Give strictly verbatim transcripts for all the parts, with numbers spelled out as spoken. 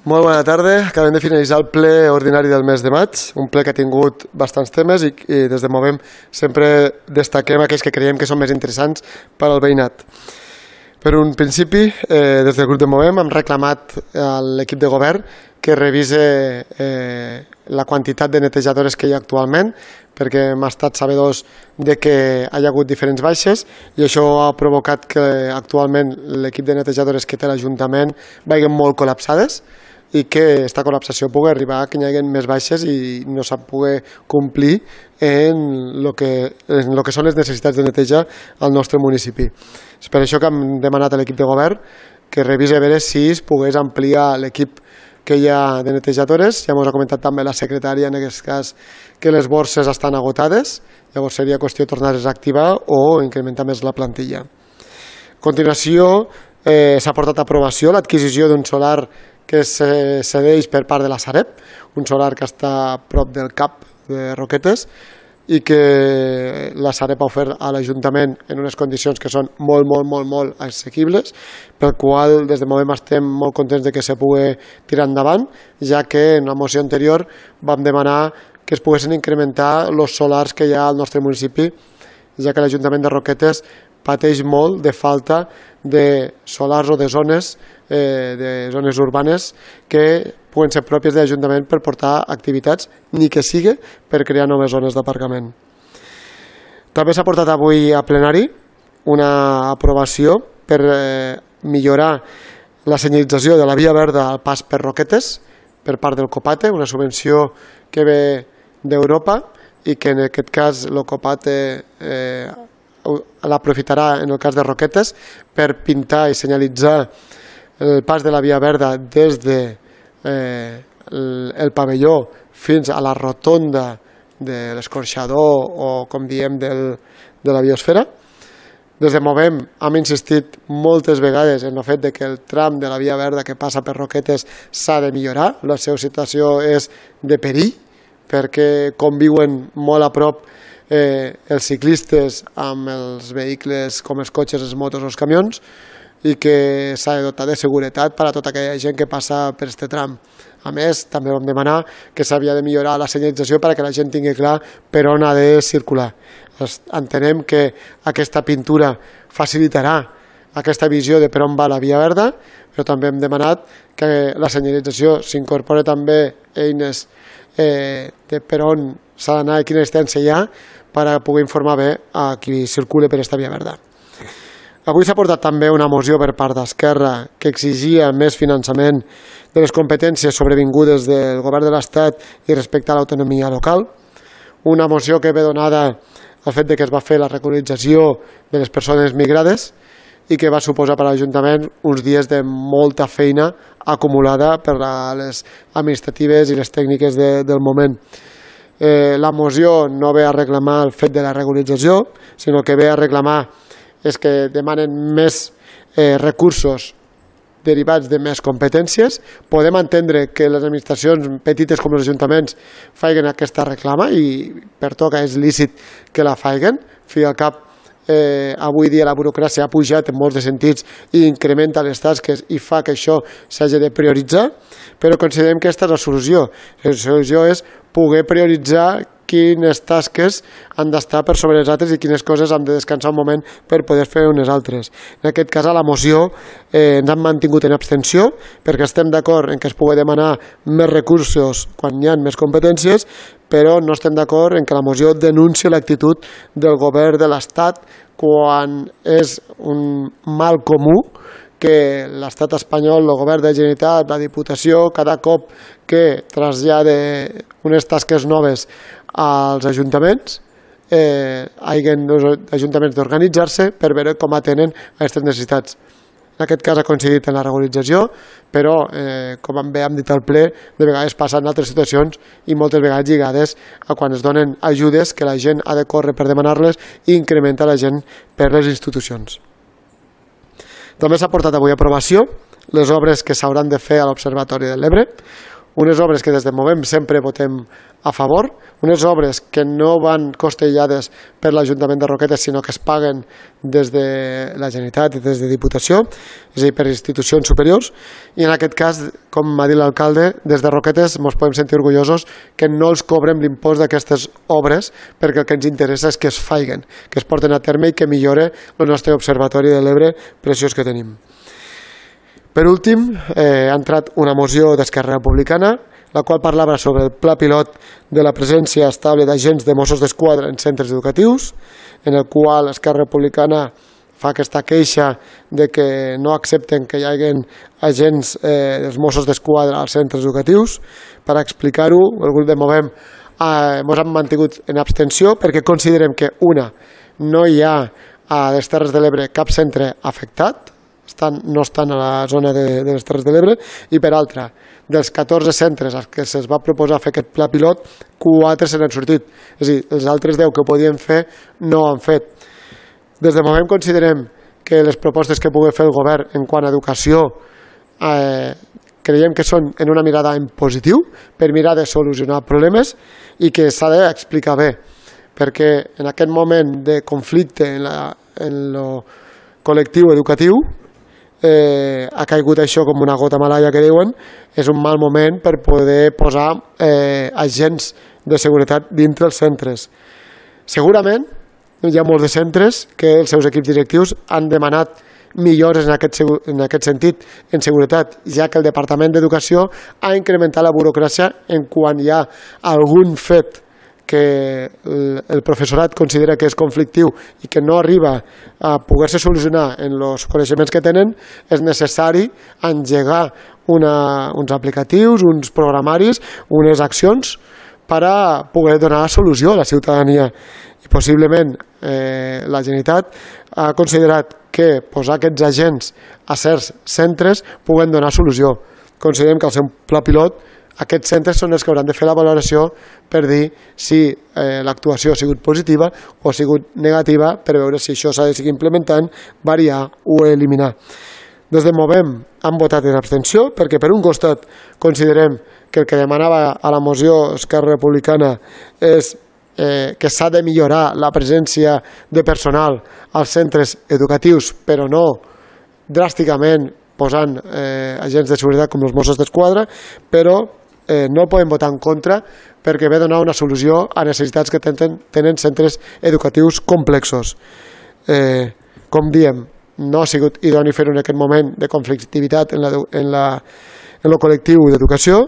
Molt bona tarda. Acabem de finalitzar el ple ordinari del mes de maig, un ple que ha tingut bastants temes i, i des de Movem sempre destaquem aquells que creiem que són més interessants per al veïnat. Per un principi, eh, des del grup de Movem hem reclamat a l'equip de govern que revise eh, la quantitat de netejadores que hi ha actualment, perquè hem estat sabedors de que hi ha hagut diferents baixes i això ha provocat que actualment l'equip de netejadores que té l'Ajuntament vagin molt col·lapsades i que aquesta col·lapsació pugui arribar a que hi hagi més baixes i no s'ha pogut complir en el que, en el que són les necessitats de neteja al nostre municipi. És per això que hem demanat a l'equip de govern que revisi a veure si es pogués ampliar l'equip que hi ha de netejadores. Ja ens ha comentat també la secretària en aquest cas que les borses estan agotades, llavors seria qüestió de tornar-les a activar o incrementar més la plantilla. A continuació eh, s'ha portat a aprovació l'adquisició d'un solar que se cedeix per part de la Sareb, un solar que està a prop del cap de Roquetes i que la Sareb ha ofert a l'Ajuntament en unes condicions que són molt, molt, molt, molt assequibles, pel qual des de Movem estem molt contents de que se pugui tirar endavant, ja que en la moció anterior vam demanar que es poguessin incrementar els solars que hi ha al nostre municipi, ja que l'Ajuntament de Roquetes pateix molt de falta de solars o de zones, eh, de zones urbanes que puguen ser pròpies de l'Ajuntament per portar activitats, ni que sigui per crear noves zones d'aparcament. També s'ha portat avui a plenari una aprovació per eh, millorar la senyalització de la via verda al pas per Roquetes per part del COPATE, una subvenció que ve d'Europa i que en aquest cas el COPATE eh, l'aprofitarà en el cas de Roquetes per pintar i senyalitzar el pas de la via verda des de eh, el, el pavelló fins a la rotonda de l'escorxador o com diem del, de la biosfera. Des de Movem hem insistit moltes vegades en el fet de que el tram de la via verda que passa per Roquetes s'ha de millorar, la seva situació és de perill perquè conviuen molt a prop eh, els ciclistes amb els vehicles com els cotxes, les motos o els camions i que s'ha de dotar de seguretat per a tota aquella gent que passa per aquest tram. A més, també vam demanar que s'havia de millorar la senyalització perquè la gent tingui clar per on ha de circular. Entenem que aquesta pintura facilitarà aquesta visió de per on va la via verda, però també hem demanat que la senyalització s'incorpori també eines eh, de per on s'ha d'anar i quina distància hi ha per a poder informar bé a qui circula per aquesta via verda. Avui s'ha portat també una moció per part d'Esquerra que exigia més finançament de les competències sobrevingudes del govern de l'Estat i respecte a l'autonomia local. Una moció que ve donada al fet que es va fer la regularització de les persones migrades i que va suposar per a l'Ajuntament uns dies de molta feina acumulada per a les administratives i les tècniques de, del moment. Eh, la moció no ve a reclamar el fet de la regularització, sinó que ve a reclamar és que demanen més eh, recursos derivats de més competències. Podem entendre que les administracions petites com els ajuntaments facin aquesta reclama i per tot que és lícit que la facin. Fi al cap, eh, avui dia la burocràcia ha pujat en molts de sentits i incrementa les tasques i fa que això s'hagi de prioritzar, però considerem que aquesta és la solució. La solució és poder prioritzar quines tasques han d'estar per sobre les altres i quines coses han de descansar un moment per poder fer unes altres. En aquest cas, a la moció eh, ens han mantingut en abstenció perquè estem d'acord en que es pugui demanar més recursos quan hi ha més competències, però no estem d'acord en que la moció denunci l'actitud del govern de l'Estat quan és un mal comú que l'estat espanyol, el govern de la Generalitat, la Diputació, cada cop que trasllada unes tasques noves als ajuntaments, eh, hagin els ajuntaments d'organitzar-se per veure com atenen aquestes necessitats. En aquest cas ha coincidit en la regularització, però, eh, com bé hem dit al ple, de vegades passen altres situacions i moltes vegades lligades a quan es donen ajudes que la gent ha de córrer per demanar-les i incrementa la gent per les institucions. També s'ha portat avui a aprovació les obres que s'hauran de fer a l'Observatori de l'Ebre, unes obres que des de Movem sempre votem a favor, unes obres que no van costellades per l'Ajuntament de Roquetes, sinó que es paguen des de la Generalitat i des de Diputació, és a dir, per institucions superiors, i en aquest cas, com m'ha dit l'alcalde, des de Roquetes ens podem sentir orgullosos que no els cobrem l'impost d'aquestes obres, perquè el que ens interessa és que es faiguen, que es porten a terme i que millore el nostre observatori de l'Ebre preciós que tenim. Per últim, eh, ha entrat una moció d'Esquerra Republicana, la qual parlava sobre el pla pilot de la presència estable d'agents de Mossos d'Esquadra en centres educatius, en el qual Esquerra Republicana fa aquesta queixa de que no accepten que hi hagi agents eh, dels Mossos d'Esquadra als centres educatius. Per explicar-ho, el grup de Movem eh, ens hem mantingut en abstenció perquè considerem que, una, no hi ha a les Terres de l'Ebre cap centre afectat, estan, no estan a la zona de, de les Terres de l'Ebre, i per altra, dels catorze centres als que se'ls va proposar fer aquest pla pilot, quatre se n'han sortit. És a dir, els altres deu que podien fer no ho han fet. Des de Movem considerem que les propostes que pugui fer el govern en quant a educació eh, creiem que són en una mirada en positiu per mirar de solucionar problemes i que s'ha d'explicar bé, perquè en aquest moment de conflicte en, la, en lo col·lectiu educatiu Eh, ha caigut això com una gota malaia que diuen, és un mal moment per poder posar eh, agents de seguretat dintre els centres. Segurament hi ha molts de centres que els seus equips directius han demanat millores en aquest, en aquest sentit en seguretat, ja que el Departament d'Educació ha incrementat la burocràcia en quan hi ha algun fet que el professorat considera que és conflictiu i que no arriba a poder-se solucionar en els coneixements que tenen, és necessari engegar una, uns aplicatius, uns programaris, unes accions per a poder donar solució a la ciutadania. I possiblement eh, la Generalitat ha considerat que posar aquests agents a certs centres puguen donar solució. Considerem que al ser un pla pilot aquests centres són els que hauran de fer la valoració per dir si eh, l'actuació ha sigut positiva o ha sigut negativa, per veure si això s'ha de seguir implementant, variar o eliminar. Des de Movem han votat en abstenció perquè per un costat considerem que el que demanava a la moció Esquerra Republicana és eh, que s'ha de millorar la presència de personal als centres educatius, però no dràsticament posant eh, agents de seguretat com els Mossos d'Esquadra, però Eh, no el podem votar en contra perquè ve a donar una solució a necessitats que tenen, tenen centres educatius complexos. Eh, com diem, no ha sigut idoni fer-ho en aquest moment de conflictivitat en, la, en, la, en el col·lectiu d'educació,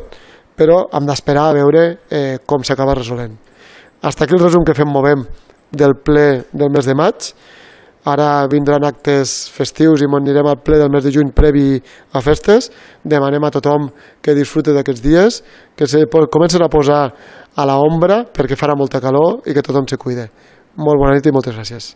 però hem d'esperar a veure eh, com s'acaba resolent. Hasta aquí el resum que fem Movem del ple del mes de maig. Ara vindran actes festius i anirem al ple del mes de juny previ a festes. Demanem a tothom que disfrute d'aquests dies, que se comencen a posar a l'ombra perquè farà molta calor i que tothom se cuide. Molt bona nit i moltes gràcies.